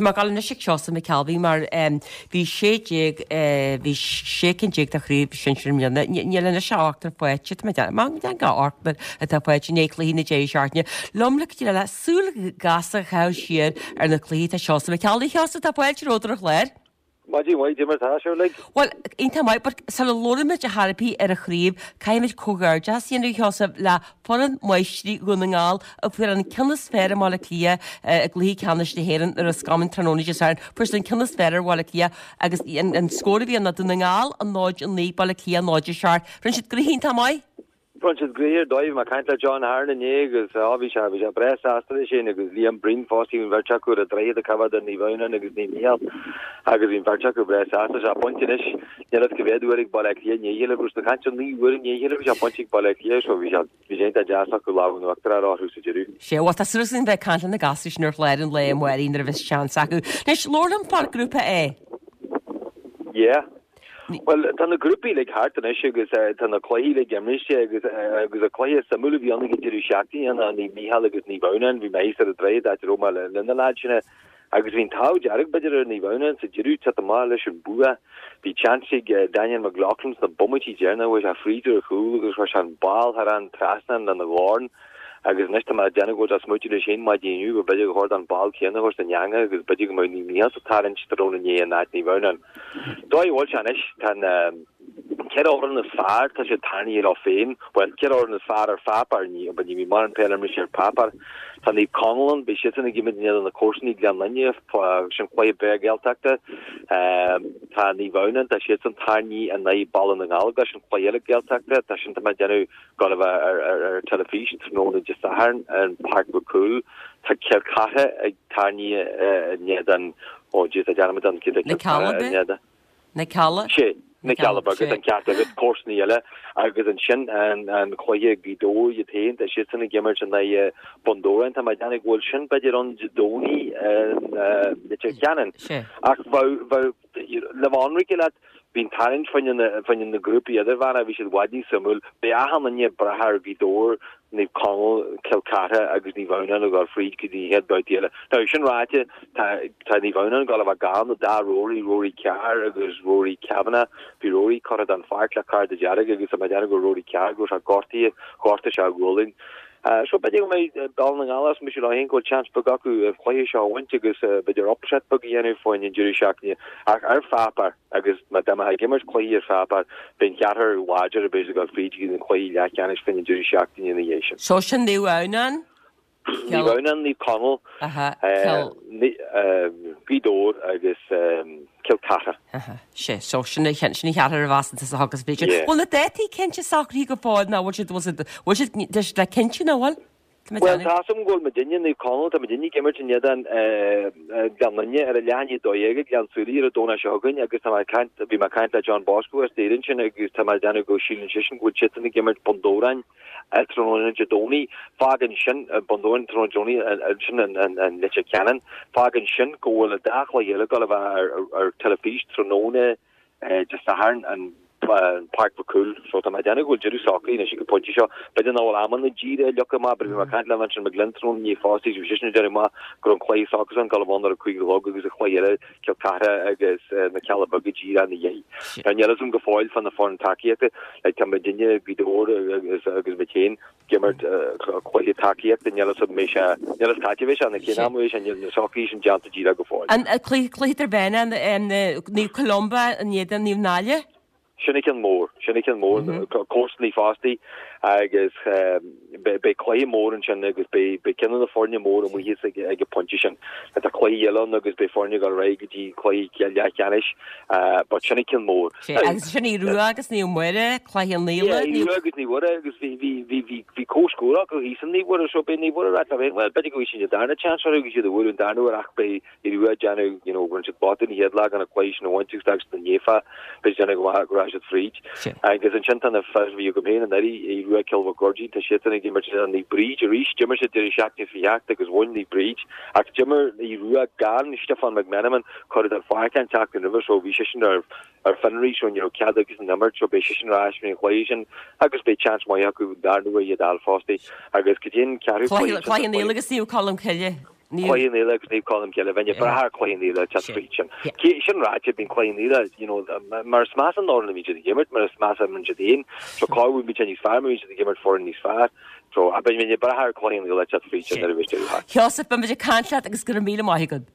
Tá mé ag dul anois ag Seosamh McKelvey mar bhí 16, bhí 16 cinn de chraobh sinsir i mbliana. Níl anois ach ochtar faighte, tá mé ag déanamh, go ochtar atá faighte i ndiaidh cluichí na deireadh seachtaine. Liom le cuidiú le súil ghasta a chaitheamh siar ar na cluichí tá Seosamh McKelvey. Sheosamh, tá fáilte romhat ar an chlár. Maidin mhaith, cad é mar tá sibh uilig. Bhuel, iontach maith, but sula labhraímid ar chor ar bith ar an chraobh, caithfimid comhghairdeachas a dhéanamh, Sheosamh, le foireann máistrí Dhún na nGall a fuair an ceann is fearr i mBaile Átha Cliath i gcluiche ceannais na hÉireann i Ros Comáin tráthnóna Dé Sathairn. Fuair siad an ceann is fearr ar Bhaile Átha Cliath agus an scór a bhí ann ná Dún na Ngall 0-9, Baile Átha Cliath 0-7. Rinne siad gnoithe iontach maith. Rinne siad gnoithe ar dóigh. Bhí mé ag caint le John Ahern inné agus á bhí sé, bhí sé breá sásta leis féin agus Liam Breen fosta, bhí an bheirt acu ar an droichead ag coimhéad ar Naomh Adhamhnáin agus Naomh Mícheál agus bhí an bheirt acu breá sásta. Sé bainte anois, níl fhios cá mhéad uair ag Baile Átha Cliath i ndiaidh a chéile, bhí siad ag caint ar 9 uair i ndiaidh a chéile bhí sé bainte ag Baile Átha Cliath so bhí sé, bhí sé iontach deas acu lámh in uachtar a fháil orthu sa deireadh. Sea, bhuel tá súil againn bheith ag caint le na gasúir sin ar chlár an lae amárach nuair a bheas seans acu. Anois, labhair liom fán grúpa A. Yeah. Bhuel, tá na grúpaí uilig thart anois agus tá na cluichí uilig imriste agus agus an cluiche suimiúil a bhí ann ag an deireadh seachtaine ná Naomh Mícheál agus Naomh Adhamhnáin. Bhí mé thíos ar an droichead áit a raibh mé le na leaids sin agus bhí an t-ádh dearg b'fhéidir ar Naomh Adhamhnáin sa deireadh teacht amach leis an bua. Bhí seans ag Daniel McLaughlin sna bomaití deireanacha, chuaigh sé fríd ar chúl agus chuir sé an ball thar an trasnán lena dhorn. Agus anois tá mé ag déanamh go bhfuil sé ag smaoitiú leis féin maidin inniu go b'fhéidir gur chóir dó an ball céanna a thabhairt san eangach agus b'fhéidir go mbeadh Naomh Mícheál sa tarraingt tráthnóna inné in áit Naomh Adhamhnáin. Dóigh a bhfuil sé anois, tá na ceithre fhoireann is fearr, tá siad tarraingthe leo féin, bhuel, ceithre fhoireann is fearr ar pháipéar, ní, ní bhíonn mórán peil imrithe ar pháipéar. Tá Naomh Conaill ann, beidh siadsan ag imirt in éadan na comharsanaí Gleann Fhinne, sin cluiche breá Gaeltachta. Tá Naomh Adhamhnáin, tá siadsan tarraingthe in aghaidh Baile na nGallóglach, sin cluiche eile Gaeltachta, tá sin, tá mé ag déanamh Gabháil a bheith ar teilifís tráthnóna Dé Sathairn in Páirc Mhic Cumhaill. Tá Cill Chartha ag tarraingt in éadan, ó jeez, tá dearmad orm cé Na Cill Chartha in éadan. Na Cealla? Sé, Na Cealla Beaga, tá an ceart agat, comharsanaí eile. Agus ansin an cluiche Gaoth Dobhair iad féin, tá siadsan ag imirt in aghaidh Bun Dobhráin. Tá mé ag déanamh go bhfuil sin b'fhéidir ann Dé Domhnaigh i Leitir Ceanainn. Ach bheadh, Le bheith ionraic leat, bhí an tarraingt fá choinne na grúpaí idirmheánach, bhí siad i bhfad níos suimiúil. Beidh achan duine ag brath ar Ghaoth Dobhair, Naomh Conaill, Cill Chartha agus Naomh Adhamhnáin a dhul fríd go dtí an chéad bhabhta eile. Now, sin ráite, tá tá Naomh Adhamhnáin ag dul a bheith gan an dá Rory, Rory Carr agus Rory Kavanagh. Bhí Rory curtha den pháirc le cárta dearg agus tá mé ag déanamh go raibh Rory Carr go raibh sé gortaithe, ghortaigh sé a ghualainn. So b'fhéidir go mbeidh Baile na nGall ag smaoitiú leo féin go bhfuil seans beag acu an cluiche seo a bhaint agus b'fhéidir upset beag a dhéanamh fá choinne an deireadh seachtaine. Ach ar pháipéar, agus má tá mé ag imirt cluichí ar pháipéar, beidh an ceathrar láidir a bheas ag dul fríd go dtí an cluiche leathcheannais fá choinne an deireadh seachtaine ina dhiaidh sin. So sin Naomh Adhamhnáin? Naomh Adhamhnáin, Naomh Conaill, Gaoth Dobhair agus Cill Chartha. Sea, so sin an cheathrar a bheas sa agus b'fhéidir. Bhfuil na dátaí cinnte socraithe go fóill nó bhfuil siad, bhfuil siad, bhfuil siad, tá siad le cinntiú nó bhfuil? Bhuel, tá a fhios agam go bhfuil muidinne, Naomh Conaill, tá muidinne ag imirt in éadan Gleann Fhinne ar a leath i ndiaidh 12 ag Gleann tSúilí ar an Domhnach seo chugainn agus tá mé ag caint, bhí mé ag caint le John Bosco as Doire ansin agus tá mé ag déanamh go síleann seisean go bhfuil siadsan ag imirt Bun Dobhráin. Tráthnóna Dé Domhnaigh. Fágann sin, Bun Dobhráin tráthnóna Dé Domhnaigh, sin in Leitir Ceanainn. Fágann sin go bhfuil an dá chluiche eile ag dul a bheith ar teilifís tráthnóna Dé Sathairn in Páirc Mhic Cumhaill. So tá mé ag déanamh go bhfuil deireadh socraithe anois ag an phointe seo. B'fhéidir nach bhfuil amanna díreach leagtha amach, but bhí mé ag caint le Vincent McGlynn tráthnóna inné fosta agus bhí seisean ag déanamh amach go raibh an cluiche s'acusan ag dul a bheith ann ar a 5 a chlog agus an cluiche eile Cill Chartha agus na Cealla Beaga díreach ina dhiaidh. Now níl fhios agam go fóill fá na foireann tacaíochta, like tá muidinne, Gaoth Dobhair agus agus muid féin ag imirt cluiche tacaíochta, níl fhios agam mbeidh sé, níl fhios cá bheidh sé, nó cén am a bheidh sé, níl na socruithe sin déanta díreach go fóill. An cluiche cluiche idirmheánach Naomh Columba in éadan Naomh Náille? Sin an ceann mór, sin an ceann mór, comharsanaí fostaí agus beidh cluiche mór ansin agus beidh ceann de na foirne móra amuigh thíos ag an bpointe sin. Tá cluichí eile ann agus beidh foirne ag dul ar aghaidh go dtí cluichí leathcheannais but sin an ceann mór. Agus sin Aodh Rua agus Naomh Muire, Cloich Cheann Fhaola. Aodh Rua agus Naomh Muire agus bhí comhscór acu thíos in Naomh Muire so beidh Naomh Muire ag rá leo féin, bhuel b'fhéidir go bhfaighidh siad an darna chance orthu agus iad a bhualadh an darna huair ach beidh Aodh Rua ag déanamh, you know, rinne siad botún an chéad lá gan an cluiche sin a bhaint agus d'fhág siad an naofa, beidh siad ag déanamh go maith go raibh siad fríd. Agus ansin tá na fir a bhí agam féin anuraidh, Aodh Rua Cill Mhic Goirdín, tá siadsan ag imirt in Naomh Bríd arís, d'imir siad deireadh seachtaine seo chaite agus bhain Naomh Bríd, ach d'imir Aodh Rua gan Stiofán McMenamin, cuireadh den pháirc an tseachtain roimhe so bhí seisean ar ar fionraí so ní raibh cead aigesean imirt so beidh seisean ar ais faoin chluiche sin agus beidh seans maith acu an darna huair iad a fháil fostaí agus go dtí an ceathrú cluiche. Cloich Cheann Fhaola agus Naomh Colm Cille. Cluiche an Fhile agus Naomh Colm Cille, bheinn ag brath ar Cluiche an Fhile teacht fríd sin. Sin ráite, bíonn Cluiche an Fhile, you know, mar is measa an fhoireann a bhíonn siad ag imirt, mar is measa a imríonn siad féin, so corruair bíonn sé níos fearr má bhíonn siad ag imirt foireann níos fearr. So, bheinn ag brath ar Cluiche an Fhile teacht fríd sin nuair a bheas deireadh thart. Sheosaimh, beimid ag caint leat agus go raibh míle maith agat.